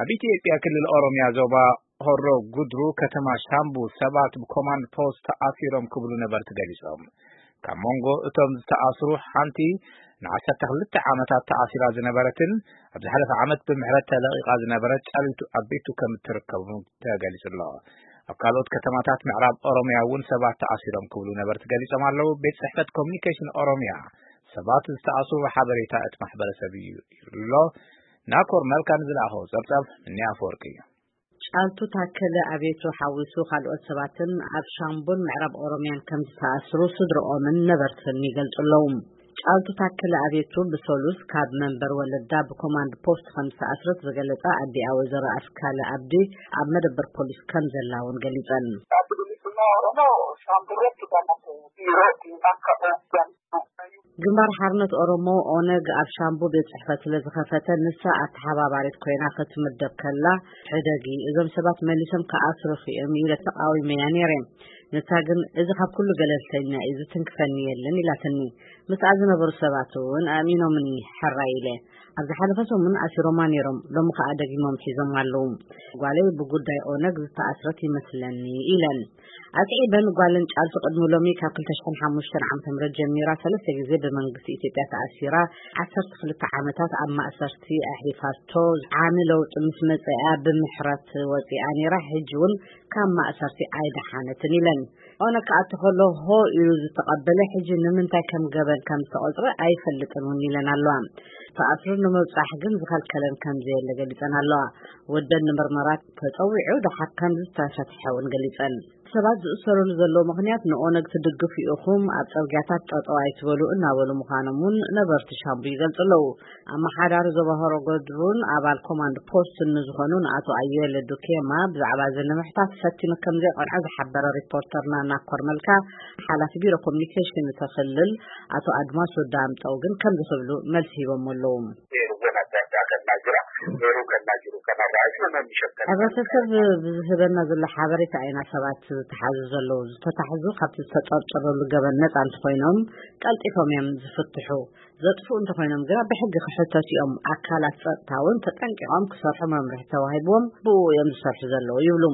ኣብ ኢትዮጵያ ክልል ኦሮሚያ ዞባ ሆሮ ጉድሩ ከተማ ሻምቡ ሰባት ብኮማንድ ፖስት ተኣሲሮም ክብሉ ነበርቲ ገሊጾም። ካብ መንጎ እቶም ዝተኣስሩ ሓንቲ ንዓሰርተ ክልተ ዓመታት ተኣሲራ ዝነበረትን ኣብ ዝሓለፈ ዓመት ብምሕረት ተለቒቓ ዝነበረት ጫሊቱ ኣቤቱ ከም እትርከቡ ተገሊጹ ኣሎ። ኣብ ካልኦት ከተማታት ምዕራብ ኦሮሚያ እውን ሰባት ተኣሲሮም ክብሉ ነበርቲ ገሊጾም ኣለዉ። ቤት ጽሕፈት ኮሚኒኬሽን ኦሮሚያ ሰባት ዝተኣስሩ ሓበሬታ እቲ ማሕበረሰብ እዩ ኢሉ ኣሎ። ናኮር መልካ ንዝለኣኸዎ ጸብጻብ እኒ ኣፈወርቂ እዩ። ጫልቱ ታከለ ኣቤቱ ሓዊሱ ካልኦት ሰባትን ኣብ ሻምቡን ምዕራብ ኦሮሚያን ከም ዝተኣስሩ ስድርኦምን ነበርትን ይገልጹ ኣለዉ። ጫልቱ ታከለ ኣቤቱ ብሰሉስ ካብ መንበር ወለዳ ብኮማንድ ፖስት ከም ዝተኣስረት ዝገለጻ ኣዲኣ ወይዘሮ ኣስካለ ኣብዲ ኣብ መደበር ፖሊስ ከም ዘላ እውን ገሊጸን። ግንባር ሓርነት ኦሮሞ ኦነግ ኣብ ሻምቡ ቤት ጽሕፈት ስለ ዝኸፈተ ንሳ ኣተሓባባሪት ኮይና ክትምደብ ከላ ሕደጊ እዞም ሰባት መሊሶም ክኣስሩኺ እዮም ኢለ ተቃዊመያ ነይረ። ንሳ ግን እዚ ካብ ኩሉ ገለልተኛ እዩ ዝትንክፈኒ የለን ኢላትኒ። ምስኣ ዝነበሩ ሰባት እውን ኣእሚኖምኒ ሕራይ ኢለ። ኣብ ዝሓለፈ ሰሙን ኣሲሮማ ነይሮም፣ ሎሚ ከኣ ደጊሞም ሒዞም ኣለዉ። ጓለይ ብጉዳይ ኦነግ ዝተኣስረት ይመስለኒ ኢለን። ኣስዒበን ጓለን ጫልቱ ቅድሚ ሎሚ ካብ ክልተ ሽሕን ሓሙሽተን ዓመተ ምህረት ጀሚራ ሰለስተ ግዜ ብመንግስቲ ኢትዮጵያ ተኣሲራ ዓሰርተ ክልተ ዓመታት ኣብ ማእሰርቲ ኣሕሊፋቶ ዓሚ ለውጢ ምስ መጸኣ ብምሕረት ወጺኣ ነይራ። ሕጂ እውን ካብ ማእሰርቲ ኣይደሓነትን ኢለን። ኦነግ ክኣቱ ከሎ ሆ ኢሉ ዝተቐበለ ሕጂ ንምንታይ ከም ገበን ከም ዝተቐጽረ ኣይፈልጥን እውን ኢለን ኣለዋ። ተኣስሩ ንምብጻሕ ግን ዝኸልከለን ከም ዘየለ ገሊጸን ኣለዋ። ወደን ንምርመራ ተጸዊዑ ደሓር ከም ዝተፈትሐ እውን ገሊጸን። ሰባት ዝእሰሩሉ ዘለዉ ምኽንያት ንኦነግ ትድግፉ ኢኹም፣ ኣብ ጽርግያታት ጠጠው ኣይትበሉ እናበሉ ምዃኖም እውን ነበርቲ ሻምቡ ይገልጹ ኣለዉ። ኣመሓዳሪ ዞባ ሆሮ ጉድሩን ኣባል ኮማንድ ፖስትን ንዝኾኑ ንኣቶ ኣየለ ዱኬማ ብዛዕባ እዚ ንምሕታት ፈቲኑ ከም ዘይቀንዖ ዝሓበረ ሪፖርተርና ናኮር መልካ፣ ሓላፊ ቢሮ ኮሚኒኬሽን እቲ ክልል ኣቶ ኣድማሱ ዳምጠው ግን ከምዚ ክብሉ መልሲ ሂቦም ኣለዉ። ሕብረተሰብ ብዝህበና ዘሎ ሓበሬታ ኢና ሰባት ዝተሓዙ ዘለዉ። ዝተታሕዙ ካብቲ ዝተጠርጠረሉ ገበን ነጻ እንተኾይኖም ቀልጢፎም እዮም ዝፍትሑ። ዘጥፍኡ እንተኾይኖም ግና ብሕጊ ክሕተቱ እዮም። ኣካላት ጸጥታ እውን ተጠንቂቖም ክሰርሑ መምርሒ ተዋሂብዎም ብኡ እዮም ዝሰርሑ ዘለዉ ይብሉ።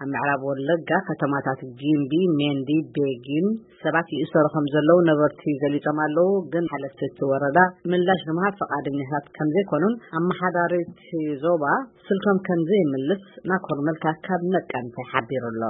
ኣብ ምዕራብ ወለጋ ከተማታት ጊምቢ፣ ሜንዲ፣ ቤጊን ሰባት ይእሰሩ ከም ዘለዉ ነበርቲ ገሊጾም ኣለዉ። ግን ሓለፍቲ እቲ ወረዳ ምላሽ ንምሃብ ፈቓደኛታት ከም ዘይኮኑን ኣመሓዳሪ እቲ ዞባ ስልኮም ከም ዘይምልስ ናኮር መልካ ካብ ነቀምተ ሓቢሩ ኣሎ።